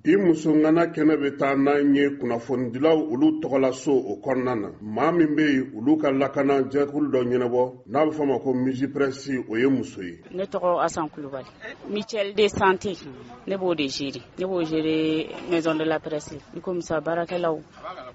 Bi muso ŋana kɛnɛ bɛ taa n'an ye kunnafonidilaw olu tɔgɔlaso o kɔnɔna na. Maa min bɛ yen, olu ka lakana jɛkulu dɔ ɲɛnabɔ n'a bɛ fɔ a ma ko Mugipres, o ye muso ye. Ne tɔgɔ Asan Kulubali, mutuelle de santé, ne b'o de gérer, ne b'o gérer maison de la presse. I komi sa baarakɛlaw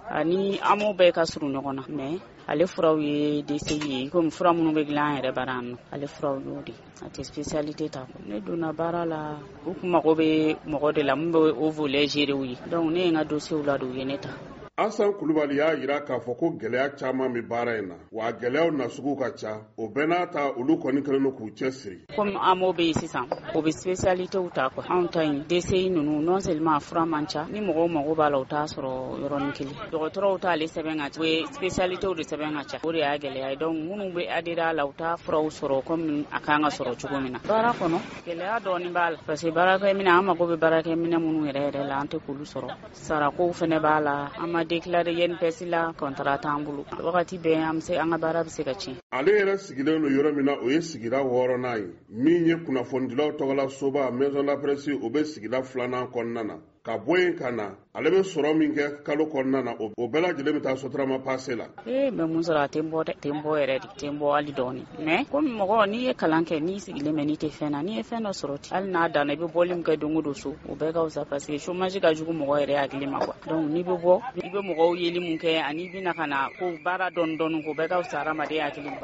ani AMO bɛɛ ka surun ɲɔgɔn na, mais ale furaw ye DCI ye, komi fura minnu bɛ dilan an yɛrɛ bara yan nɔ, ale furaw y'o de, a tɛ spécialité ta. Ne donna baara la, u kun mago bɛ mɔgɔ de la min bɛ o volet gérer u ye, donc ne ye n ka dossier ladon, u ye ne ta. Asan Kulubali y'a jira k'a fɔ ko gɛlɛya caman bɛ baara in na, wa gɛlɛyaw nasugu ka ca. O bɛɛ n'a ta, olu kɔni kɛlen don k'u cɛ siri. Komi AMO bɛ yen sisan, o bɛ spécialité ta quoi. Anw ta in DCI ninnu, non seulement a fura man ca, ni mɔgɔw mago b'a la, u t'a sɔrɔ yɔrɔnin kelen. Dɔgɔtɔrɔw t'ale sɛbɛn ka ca, u bɛ spécialité de sɛbɛn ka ca, o de y'a gɛlɛya ye. Donc minnu bɛ adhérer a la, u t'a furaw sɔrɔ comme a kan ka sɔrɔ cogo min na. Baara kɔnɔ gɛlɛya dɔɔnin b'a la, parce que baarakɛminɛ, an mago bɛ baarakɛminɛ minnu yɛrɛ yɛrɛ la, an tɛ k'olu sɔrɔ. Sarakow fɛnɛ b'a la, an ma déclaré INPS la, contrat t'an bolo. Wagati bɛɛ an bɛ se, an ka baara bɛ se ka tiɲɛ. Ale yɛrɛ sigilen don yɔrɔ min na, o ye sigida 6nan ye. Min ye kunnafonidilaw tɔgɔla soba maison de la presse, o bɛ sigida 2nan kɔnɔna na. Ka bɔ yen ka na, ale bɛ sɔrɔ min kɛ kalo kɔnɔna na, o bɛɛ lajɛlen bɛ taa Sotrama passe la. Ee, n bɛ mun sɔrɔ, a tɛ n bɔ dɛ, tɛ n bɔ yɛrɛ de, tɛ n bɔ hali dɔɔni. Mais komi mɔgɔ n'i ye kalan kɛ, n'i sigilen bɛ, n'i tɛ fɛn na, n'i ye fɛn dɔ sɔrɔ ten, hali n'a danna i bɛ bɔli min kɛ don o don so, o bɛɛ ka fisa, parce que chômage ka jugu mɔgɔ yɛrɛ hakili ma quoi. Donc n'i bɛ bɔ, i bɛ mɔgɔw yeli mun kɛ, ani i bɛ na ka na ko baara dɔɔni dɔɔni, k'o bɛɛ ka fisa hadamaden hakili ma.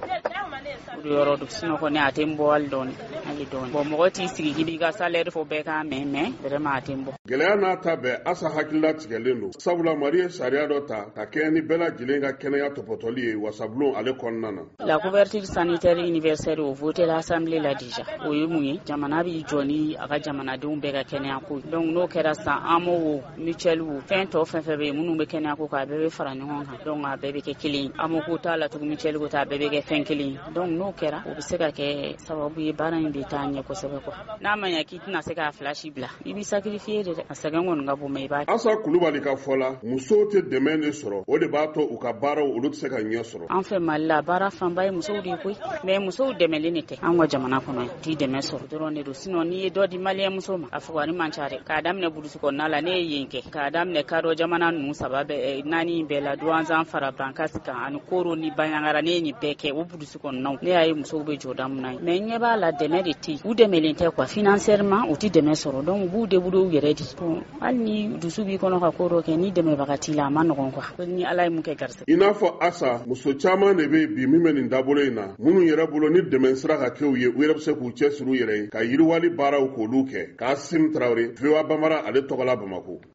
O de yɔrɔ don, sinon kɔni a tɛ n bɔ hali dɔɔni, hali dɔɔni. Bon, mɔgɔ t'i sigi k'i b'i ka salaire fɔ bɛɛ k'a mɛn, mais vraiment a tɛ n bɔ. Gɛlɛya n'a ta bɛɛ, Asa hakilila tigɛlen don, sabula Mali ye sariya dɔ ta ka kɛɲɛ ni bɛɛ lajɛlen ka kɛnɛya tɔpɔtɔli ye wasabulon ale kɔnɔna na. La couverture sanitaire universelle, o voté l'Assemblée la déjà. O ye mun ye? Jamana b'i jɔ ni a ka jamanadenw bɛɛ ka kɛnɛya ko ye. Donc n'o kɛra sisan, AMO wo, mutuelle wo, fɛn tɔ fɛn fɛn bɛ yen minnu bɛ kɛnɛya ko kan, a bɛɛ bɛ fara ɲɔgɔn kan. Donc a bɛɛ bɛ kɛ kelen ye. AMO ko t'a la tugun, mutuelle ko t'a, a bɛɛ bɛ kɛ fɛn kelen ye. Donc n'o kɛra, o bɛ se ka kɛ sababu ye baara in bɛ taa ɲɛ kosɛbɛ quoi. N'a ma ɲɛ k'i tɛna se k'a fila si bila, i b'i sacrifier de dɛ. A sɛgɛn kɔni ka bon, mais i b'a. Asa Kulubali ka fɔ la, musow tɛ dɛmɛ de sɔrɔ, o de b'a to u ka baaraw olu tɛ se ka ɲɛ sɔrɔ. An fɛ Mali la, baara fanba ye musow de ye koyi, mais musow dɛmɛlen de tɛ an ka jamana kɔnɔ yan, t'i dɛmɛ sɔrɔ dɔrɔn de don. Sinon n'i ye dɔ di maliyɛn muso ma, a fugari man ca dɛ. K'a daminɛ burusi kɔnɔna la, ne ye yen kɛ, k'a daminɛ kadɔ jamana ninnu saba bɛɛ, naani bɛɛ la, Duwanzan fara Bankasi kan ani Koro ni Banjagara, ne ye nin bɛɛ kɛ o burusi kɔnɔnaw. Ne y'a ye musow bɛ jɔda mun na ye, mais n ɲɛ b'a la dɛmɛ de tɛ yen, u dɛmɛlen tɛ quoi, financièrement u tɛ dɛmɛ sɔrɔ, donc u b'u débrouiller u yɛrɛ de. Bon, hali ni dusu b'i kɔnɔ ka ko dɔ kɛ, ni dɛmɛbaga t'i la, a ma nɔgɔn quoi, ni Ala ye mun kɛ garisɛgɛ. I n'a fɔ Asa, muso caman de bɛ bi min bɛ nin dabolo in na, minnu yɛrɛ bolo ni dɛmɛ sira ka kɛ u ye, u yɛrɛ bɛ se k'u cɛsiri u yɛrɛ ye ka yiriwali baaraw k'olu kɛ. Kasim Tarawele, VOA Bambara, ale tɔgɔla Bamakɔ.